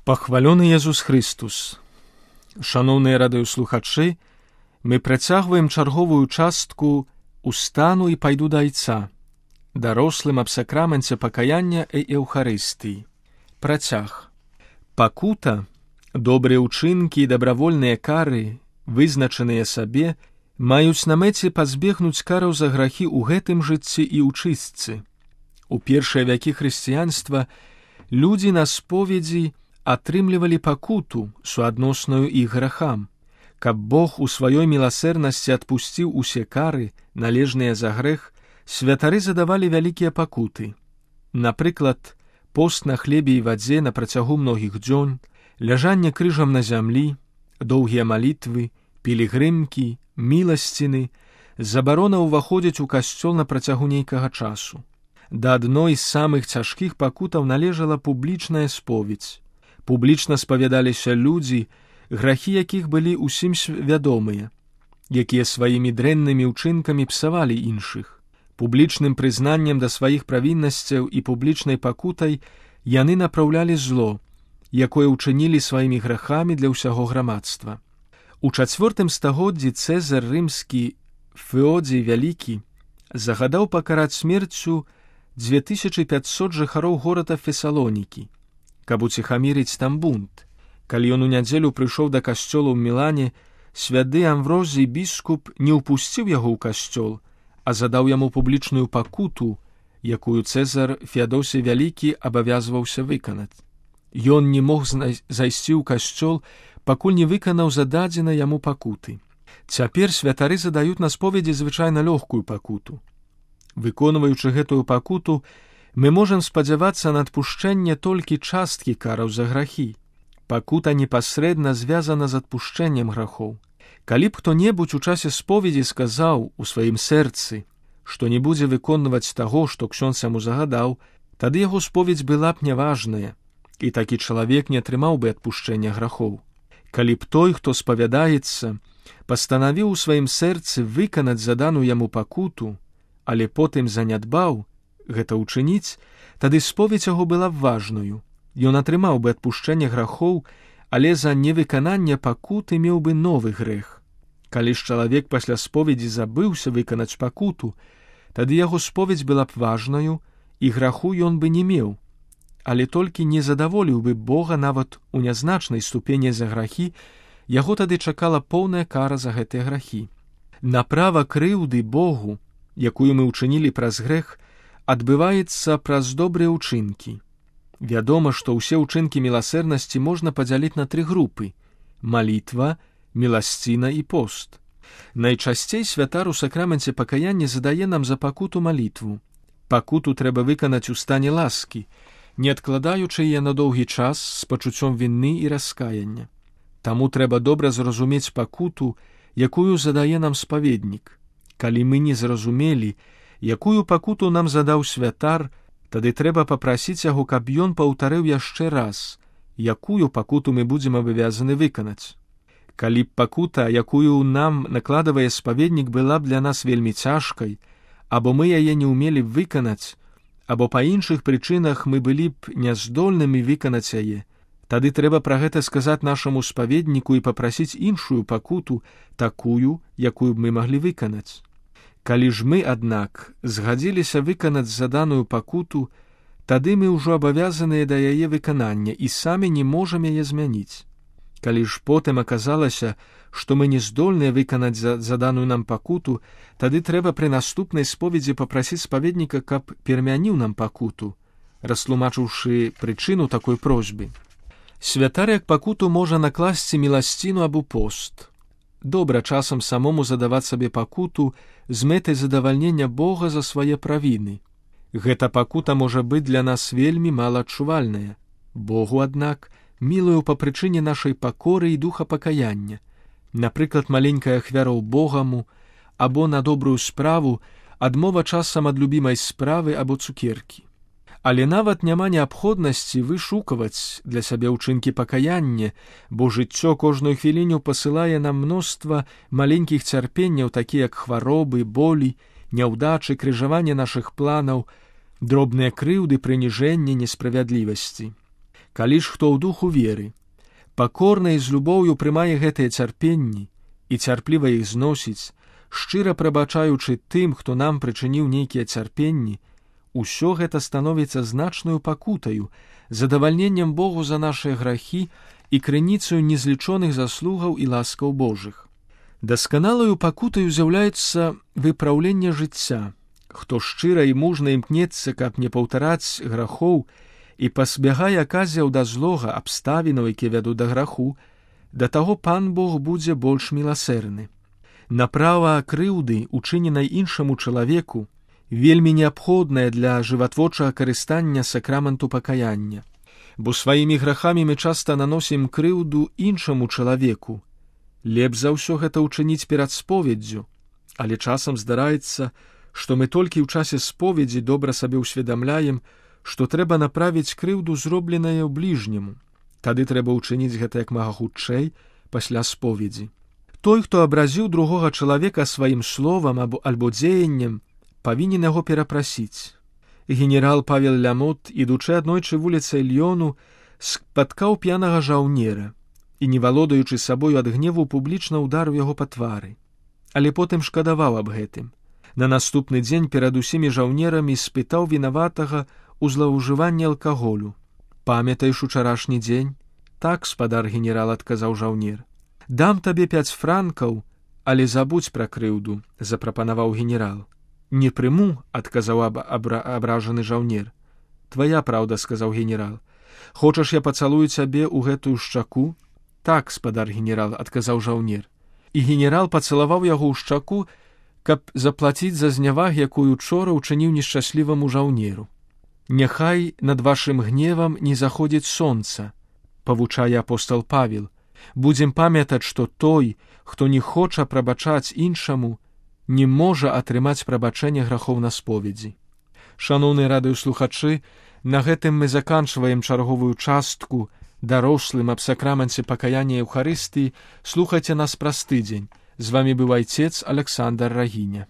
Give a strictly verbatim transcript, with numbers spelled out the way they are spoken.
Пахвалёны Езус Христус! Шаноўныя радыёслухачы, мы працягваем чарговую частку «Устану і пайду да Айца», дарослым аб сакраменце пакаяння і Еўхарыстыі. Працяг. Пакута, добрыя ўчынкі і дабравольныя кары, вызначаныя сабе, маюць на мэце пазбегнуць караў за грахі ў гэтым жыцці і ў чыстцы. У першыя вякі хрысціянства людзі на споведзі атрымлівалі пакуту, суадносную іх грахам. Каб Бог у сваёй міласэрнасці адпусціў усе кары, належныя за грэх, святары задавалі вялікія пакуты. Напрыклад, пост на хлебе і вадзе на працягу многіх дзён, ляжанне крыжам на зямлі, доўгія малітвы, пілігрымкі, міласціны, забарона ўваходзіць у касцёл на працягу нейкага часу. Да адной з самых цяжкіх пакутаў належала публічная споведзь. Публічна спавядаліся людзі, грахі якіх былі ўсім вядомыя, якія сваімі дрэннымі ўчынкамі псавалі іншых. Публічным прызнаннем да сваіх правіннасцяў і публічнай пакутай яны напраўлялі зло, якое ўчынілі сваімі грахамі для ўсяго грамадства. У чацвёртым стагоддзі Цэзар рымскі Феодзій Вялікі загадаў пакараць смерцю дзве тысячы пяцьсот жыхароў горада Фесалонікі, каб уціхамірыць там бунт. Калі ён у нядзелю прыйшоў да касцёла ў Мілане, святы Амврозій біскуп не ўпусціў яго ў касцёл, а задаў яму публічную пакуту, якую Цэзар Феадосій Вялікі абавязваўся выканаць. Ён не мог зайсці ў касцёл, пакуль не выканаў зададзенай яму пакуты. Цяпер святары задаюць на споведзі звычайна лёгкую пакуту. Выконваючы гэтую пакуту, мы можам спадзявацца на адпушчэнне толькі часткі караў за грахі. Пакута непасрэдна звязана з адпушчэннем грахоў. Калі б хто-небудзь у часе споведзі сказаў у сваім сэрцы, што не будзе выконваць таго, што ксёндз яму загадаў, тады яго споведзь была б няважная, і такі чалавек не атрымаў бы адпушчэння грахоў. Калі б той, хто спавядаецца, пастанавіў у сваім сэрцы выканаць заданую яму пакуту, але потым занядбаў гэта ўчыніць, тады споведзь яго была б важною. Ён атрымаў бы адпушчэнне грахоў, але за невыкананне пакуты меў бы новы грэх. Калі ж чалавек пасля споведзі забыўся выканаць пакуту, тады яго споведзь была б важнаю, і граху ён бы не меў, але толькі не задаволіў бы Бога нават у нязначнай ступені за грахі, яго тады чакала поўная кара за гэтыя грахі. Направа крыўды Богу, якую мы ўчынілі праз грэх, адбываецца праз добрыя ўчынкі. Вядома, што ўсе ўчынкі міласэрнасці можна падзяліць на тры групы: малітва, міласціна і пост. Найчасцей святар у сакраменце пакаяння задае нам за пакуту малітву. Пакуту трэба выканаць у стане ласкі, не адкладаючы яе на доўгі час з пачуццём віны і раскаяння. Таму трэба добра зразумець пакуту, якую задае нам спаведнік. Калі мы не зразумелі, якую пакуту нам задаў святар, тады трэба папрасіць яго, каб ён паўтарыў яшчэ раз, якую пакуту мы будзем абавязаны выканаць. Калі б пакута, якую нам накладывае спаведнік, была б для нас вельмі цяжкай, або мы яе не ўмелі б выканаць, або па іншых прычынах мы былі б няздольнымі выканаць яе, тады трэба пра гэта сказаць нашаму спаведніку і папрасіць іншую пакуту, такую, якую б мы маглі выканаць. Калі ж мы, аднак, згадзіліся выканаць заданую пакуту, тады мы ўжо абавязаныя да яе выканання і самі не можам яе змяніць. Калі ж потым аказалася, што мы не здольныя выканаць заданую нам пакуту, тады трэба пры наступнай споведзі папрасіць спаведніка, каб перамяніў нам пакуту, растлумачыўшы прычыну такой просьбы. Святар як пакуту можа накласці міласціну або пост. Добра часам самому задаваць сабе пакуту з мэтай задавальнення Бога за свае правіны. Гэта пакута можа быць для нас вельмі малаадчувальная. Богу, аднак, мілую па прычыне нашай пакоры і духа пакаяння. Напрыклад, маленькая ахвяра ў Богаму, або на добрую справу, адмова часам ад любімай справы або цукеркі. Але нават няма неабходнасці вышукаваць для сябе ўчынкі пакаяння, бо жыццё кожную хвіліню пасылае нам мноства маленькіх цярпенняў, такія як хваробы, болі, няўдачы, крыжаванне нашых планаў, дробныя крыўды, прыніжэнне, несправядлівасці. Калі ж хто ў духу веры, пакорна і з любоўю прымае гэтыя цярпенні і цярпліва іх зносіць, шчыра прабачаючы тым, хто нам прычыніў нейкія цярпенні, усё гэта становіцца значнаю пакутаю, задавальненнем Богу за нашыя грахі і крыніцаю незлічоных заслугаў і ласкаў Божых. Дасканалаю пакутаю з'яўляецца выпраўленне жыцця. Хто шчыра і мужна імкнецца, каб не паўтараць грахоў і пазбягае аказіяў да злога, абставінаў, якія вядуць да граху, да таго Пан Бог будзе больш міласэрны. Направа крыўды, учыненай іншаму чалавеку, вельмі неабходнае для жыватворчага карыстання сакраменту пакаяння, бо сваімі грахамі мы часта наносім крыўду іншаму чалавеку. Лепш за ўсё гэта ўчыніць перад споведдзю, але часам здараецца, што мы толькі ў часе споведзі добра сабе ўсведамляем, што трэба направіць крыўду зробленае ў бліжняму. Тады трэба ўчыніць гэта як мага хутчэй пасля споведзі. Той, хто абразіў другога чалавека сваім словам або, альбо дзеяннем, павінен яго перапрасіць. Генерал Павел Лямот, ідучы аднойчы вуліцай Льёну, спаткаў п'янага жаўнера і, не валодаючы сабою ад гневу, публічна ўдарыў яго па твары. Але потым шкадаваў аб гэтым. На наступны дзень перад усімі жаўнерамі спытаў вінаватага ў злоўжыванні алкаголю. «Памятаеш учарашні дзень?» «Так, спадар генерал», — адказаў жаўнер. «Дам табе пяць франкаў, але забудзь пра крыўду», — запрапанаваў генерал. «Не прыму», — адказаў аб абра абражаны жаўнер. «Твая праўда», — сказаў генерал. «Хочаш, я пацалую цябе ў гэтую шчаку?» «Так, спадар генерал», — адказаў жаўнер. І генерал пацалаваў яго ў шчаку, каб заплаціць за зняваг, якую учора ўчыніў нешчасліваму жаўнеру. «Няхай над вашым гневам не заходзіць сонца», — павучае апостал Павел. «Будзем памятаць, што той, хто не хоча прабачаць іншаму, не можа атрымаць прабачэнне грахоў на споведзі». Шаноўныя радыёслухачы, на гэтым мы заканчваем чарговую частку дарослым аб сакраменце пакаяння Еўхарыстыі. Слухайце нас праз тыдзень. З вамі быў айцец Александр Рагіня.